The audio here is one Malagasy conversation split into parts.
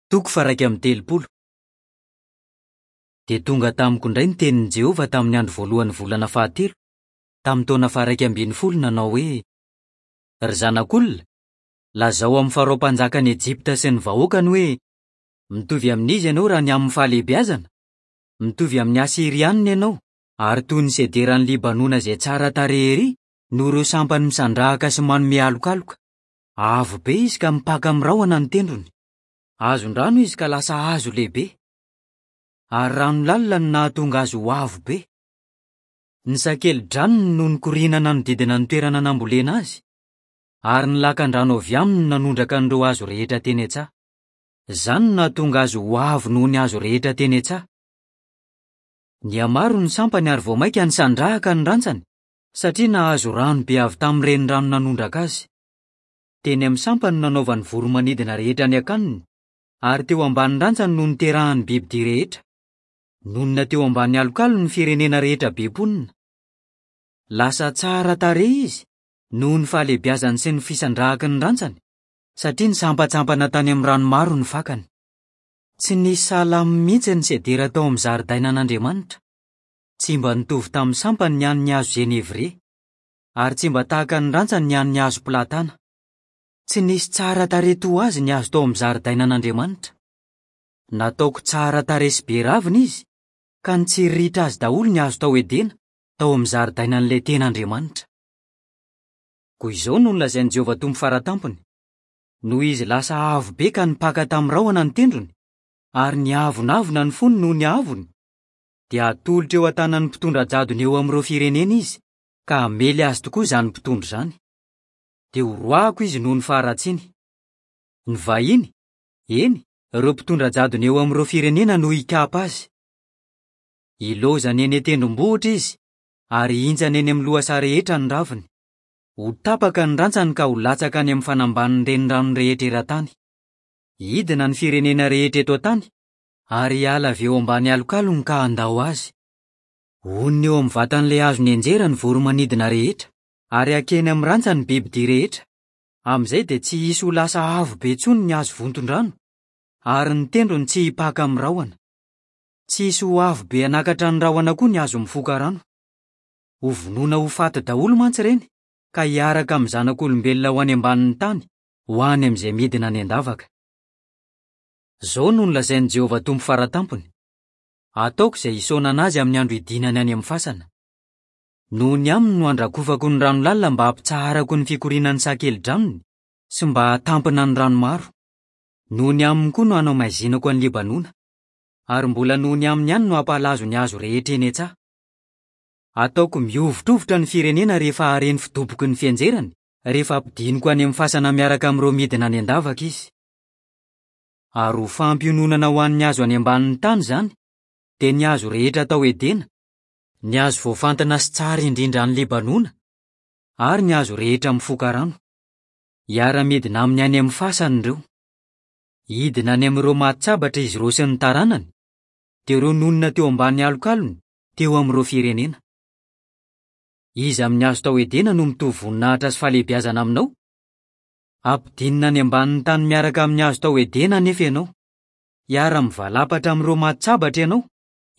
Toko faha-31. Dia tonga tamiko indray ny tenin'i Jehovah tamin'ny andro voalohan'ny volana fahatelo, tamin'ny taona faha-11, nanao hoe, Ry zanak'olona, lazao amin'i Farao mpanjakan'i Ejipta sy ny vahoakany hoe, 'Mitovy amin'iza ianao raha ny amin'ny fahalehibeazana? Mitovy amin'ny Asyrianina ianao, ary toy ny sederan'i Libanona izay tsara tarehy erỳ noho ireo sampany misandrahaka sy manome alokaloka. Avo be izy ka mipaka amin'ny rahona ny tendrony. Azon-drano izy ka lasa hazo lehibe. Ary rano lalina no nahatonga azy ho avo be. Ny sakeli-dranony no nikoriana nanodidina ny toerana nambolena azy, ary ny lakan-drano avy aminy no nanondraka an'ireo hazo rehetra teny an-tsaha. Izany no nahatonga azy ho avo noho ny hazo rehetra teny an-tsaha. Nihamaro ny sampany ary vao mainka nisandrahaka ny rantsany, satria nahazo rano be avy tamin'ny renirano nanondraka azy. Teny amin'ny sampany no nanaovan'ny voro-manidina rehetra ny akaniny, ary teo ambany rantsany no niterahan'ny bibidia rehetra. Nonina teo ambany alokalony ny firenena rehetra be mponina. Lasa tsara tarehy izy noho ny fahalehibiazany sy ny fisandrahaky ny rantsany, satria nisampantsampana tany amin'ny rano maro ny fakany. Tsy nisy sahala aminy mihitsy ny sedera tao amin'ny zaridainan'Andriamanitra. Tsy mba nitovy tamin'ny sampany ny an'ny hazo zenevrie. ary tsy mba tahaka ny rantsany ny an'ny hazo platana. Tsy nisy tsara tarehy toa azy ny hazo tao amin'ny zaridainan'Andriamanitra. Nataoko tsara tarehy sy be ravina izy, ka nitsiriritra azy daholo ny hazo tao Edena, tao amin'ny zaridainan'ilay tena Andriamanitra. Koa izao no nolazain'i Jehovah Tompo Fara Tampony, Noho izy lasa avo be ka nipaka tamin'ny rahona ny tendrony, ary niavonavona ny fony noho ny haavony, dia hatolotra eo an-tanan'ny mpitondra jadona eo amin'ireo firenena izy, ka hamely azy tokoa izany mpitondra izany. Dia horoahako izy noho ny faharatsiany. Ny vahiny, eny, ireo mpitondra jadona eo amin'ireo firenena no hikapa azy. Hilaozany eny an-tendrombohitra izy, ary hihintsana eny amin'ny lohasaha rehetra ny raviny. Ho tapaka ny rantsany ka ho latsaka any amin'ny fanambanin'ny renirano rehetra eran-tany. Hidina ny firenena rehetra eto an-tany, ary hiala avy eo ambany alokalony ka handao azy. Honina eo amin'ny vatan'ilay hazo nianjera ny voro-manidina rehetra, ary hakeny amin'ny rantsany ny bibidia rehetra. Amin'izay dia tsy hisy ho lasa avo be intsony ny hazo vonton-drano, ary ny tendrony tsy hipaka amin'ny rahona. Tsy hisy ho avo be hanakatra ny rahona koa ny hazo mifoka rano. Hovonoina ho faty daholo mantsy ireny, ka hiaraka amin'ny zanak'olombelona ho any ambanin'ny tany, ho any amin'izay midina any an-davaka. Izao no nolazain'i Jehovah Tompo Fara Tampony, Ataoko izay hisaonana azy amin'ny andro hidinany any amin'ny fasana. Noho ny aminy no handrakofako ny rano lalina mba hampitsaharako ny fikorianan'ny sakelidranony sy mba hahatampina ny rano maro. Noho ny aminy koa no hanamaizinako an'i Libanona. Ary mbola noho ny aminy ihany no hampahalazo ny hazo rehetra eny an-tsaha. Ataoko mihovitrovitra ny firenena rehefa hahare ny fidoboky ny fianjerany, rehefa ampidiniko any amin'ny fasana miaraka amin'ireo midina any an-davaka izy. Ary ho fampiononana ho an'ny hazo any ambanin'ny tany izany, dia ny hazo rehetra tao Edena, ny hazo voafantina sy tsara indrindra any Libanona, ary ny hazo rehetra mifoka rano. Hiara-midina aminy any amin'ny fasany ireo. Hidina any amin'ireo maty sabatra izy ireo sy ny taranany, dia ireo nonina teo ambany alokalony, teo amin'ireo firenena. Iza amin'ny hazo tao Edena no mitovy voninahitra sy fahalehibiazana aminao? Ampidinina any ambanin'ny tany miaraka amin'ny hazo tao Edena anefa ianao. Hiara-mivalapatra amin'ireo maty sabatra ianao,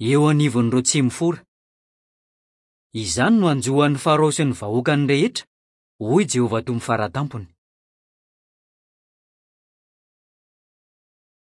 eo anivon'ireo tsy mifora. Izany no hanjo an'i Farao sy ny vahoakany rehetra, hoy Jehovah Tompo Fara Tampony.